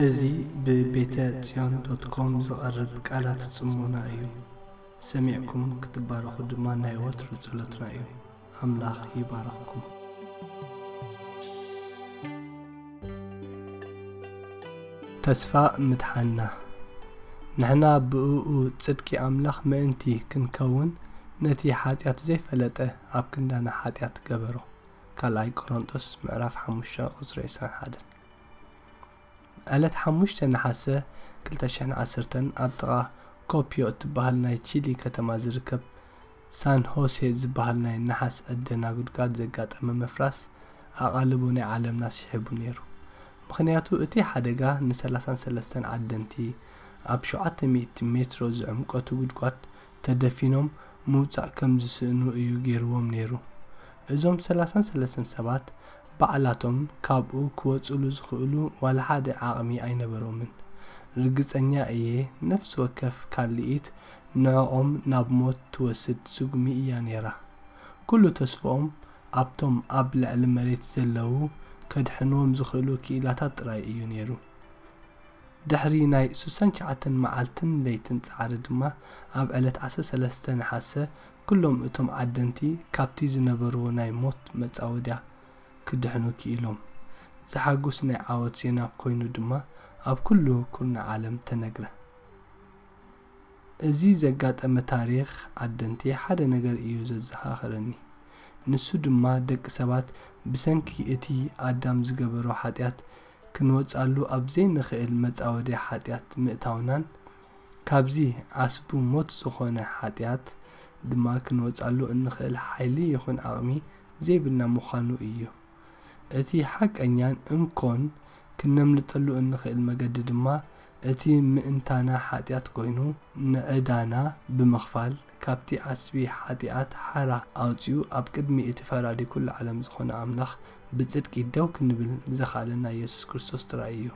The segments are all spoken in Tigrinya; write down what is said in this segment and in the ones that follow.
እዚ ብቤተ ጽዮን ዶት ኮም ዝቐርብ ቃላት ጽሞና እዩ። ሰሚዕኩም ክትባረኹ ድማ ናይ ወትሩ ጸሎትና እዩ። ኣምላኽ ይባርኽኩም። ተስፋ ምድሓንና። ንሕና ብእኡ ጽድቂ ኣምላኽ ምእንቲ ክንከውን፣ ነቲ ሓጢኣት ዘይፈለጠ ኣብ ክንዳና ሓጢኣት ገበሮ። ካልኣይ ቆሮንጦስ ምዕራፍ ሓሙሽተ ቁጽሪ ዕስራን ሓደን። ዕለት ሓሙሽተ ነሓሰ ክልተ ሽሕን ዓሰርተን ኣብ ጥቓ ኮፒዮ እትበሃል ናይ ቺሊ ከተማ ዝርከብ ሳን ሆሴ ዝበሃል ናይ ነሓስ ዕደና ጉድጓድ ዘጋጠመ ምፍራስ ኣቓልቦ ናይ ዓለምና ስሒቡ ነይሩ። ምኽንያቱ እቲ ሓደጋ ንሰላሳን ሰለስተን ዓደንቲ ኣብ ሸውዓተ ሚእቲ ሜትሮ ዝዕምቆቱ ጉድጓድ ተደፊኖም ምውጻእ ከም ዝስእኑ እዩ ገይርዎም ነይሩ። እዞም ሰላሳን ሰለስተን ሰባት ባዕላቶም ካብኡ ክወጽሉ ዝኽእሉ ዋላ ሓደ ዓቕሚ ኣይነበሮምን። ርግጸኛ እየ፣ ነፍሲ ወከፍ ካልኢት ንዕኦም ናብ ሞት ትወስድ ስጉሚ እያ ነይራ። ኩሉ ተስፍኦም ኣብቶም ኣብ ልዕሊ መሬት ዘለዉ ከድሕንዎም ዝኽእሉ ክኢላታት ጥራይ እዩ ነይሩ። ድሕሪ ናይ ስሳን ትሽዓተን መዓልትን ለይትን ጻዕሪ ድማ፣ ኣብ ዕለት ዓሰርተ ሰለስተ ነሓሰ፣ ኩሎም እቶም ዓደንቲ ካብቲ ዝነበርዎ ናይ ሞት መጻወድያ ክድሕኑ ክኢሎም። ዘሐጉስ ናይ ዓወት ዜና ኮይኑ ድማ ኣብ ኩሉ ኩርናዕ ዓለም ተነግረ። እዚ ዘጋጠመ ታሪኽ ዓደንቲ ሓደ ነገር እዩ ዘዘኻኽረኒ። ንሱ ድማ ደቂ ሰባት ብሰንኪ እቲ ኣዳም ዝገበሮ ሓጢኣት ክንወጻሉ ኣብ ዘይንኽእል መጻወድያ ሓጢኣት ምእታውናን፣ ካብዚ ዓስቡ ሞት ዝኾነ ሓጢኣት ድማ ክንወጻሉ እንኽእል ሓይሊ ይኹን ዓቕሚ ዘይብልና ምዃኑ እዩ። እቲ ሓቀኛን እንኮን ክነምልጠሉ እንኽእል መገዲ ድማ እቲ ምእንታና ሓጢኣት ኮይኑ፣ ንዕዳና ብምኽፋል ካብቲ ዓስቢ ሓጢኣት ሓራ ኣውጺኡ ኣብ ቅድሚ እቲ ፈራዲ ኩሉ ዓለም ዝኾነ ኣምላኽ ብጽድቂ ደው ክንብል ዘኽኣለና የሱስ ክርስቶስ ጥራይ እዩ።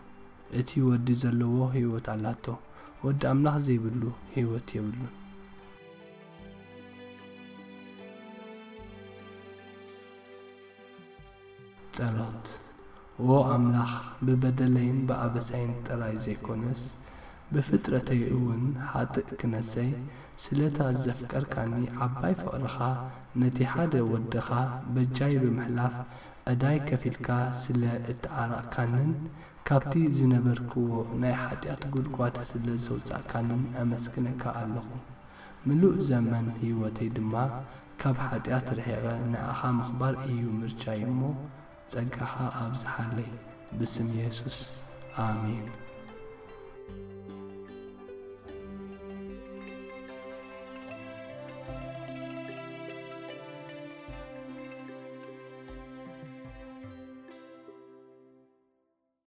እቲ ወዲ ዘለዎ ህይወት ኣላቶ፣ ወዲ ኣምላኽ ዘይብሉ ህይወት የብሉን። ጸሎት። ዎ ኣምላኽ፣ ብበደለይን ብኣበሳይን ጥራይ ዘይኮነስ፣ ብፍጥረተይ እውን ሓጥእ ክነሰይ፣ ስለታ ዘፍቀርካኒ ዓባይ ፍቕርኻ፣ ነቲ ሓደ ወድኻ በጃይ ብምሕላፍ፣ ዕዳይ ከፊልካ ስለ እተዓረቕካንን፣ ካብቲ ዝነበርክዎ ናይ ሓጢኣት ጉድጓድ ስለ ዘውጻእካንን ኣመስግነካ ኣለኹ። ምሉእ ዘመን ህይወተይ ድማ ካብ ሓጢኣት ርሒቐ ንዓኻ ምኽባር እዩ ምርጫይ እሞ፣ ጸጋኻ ኣብዝሓለይ። ብስም የሱስ፣ ኣሜን።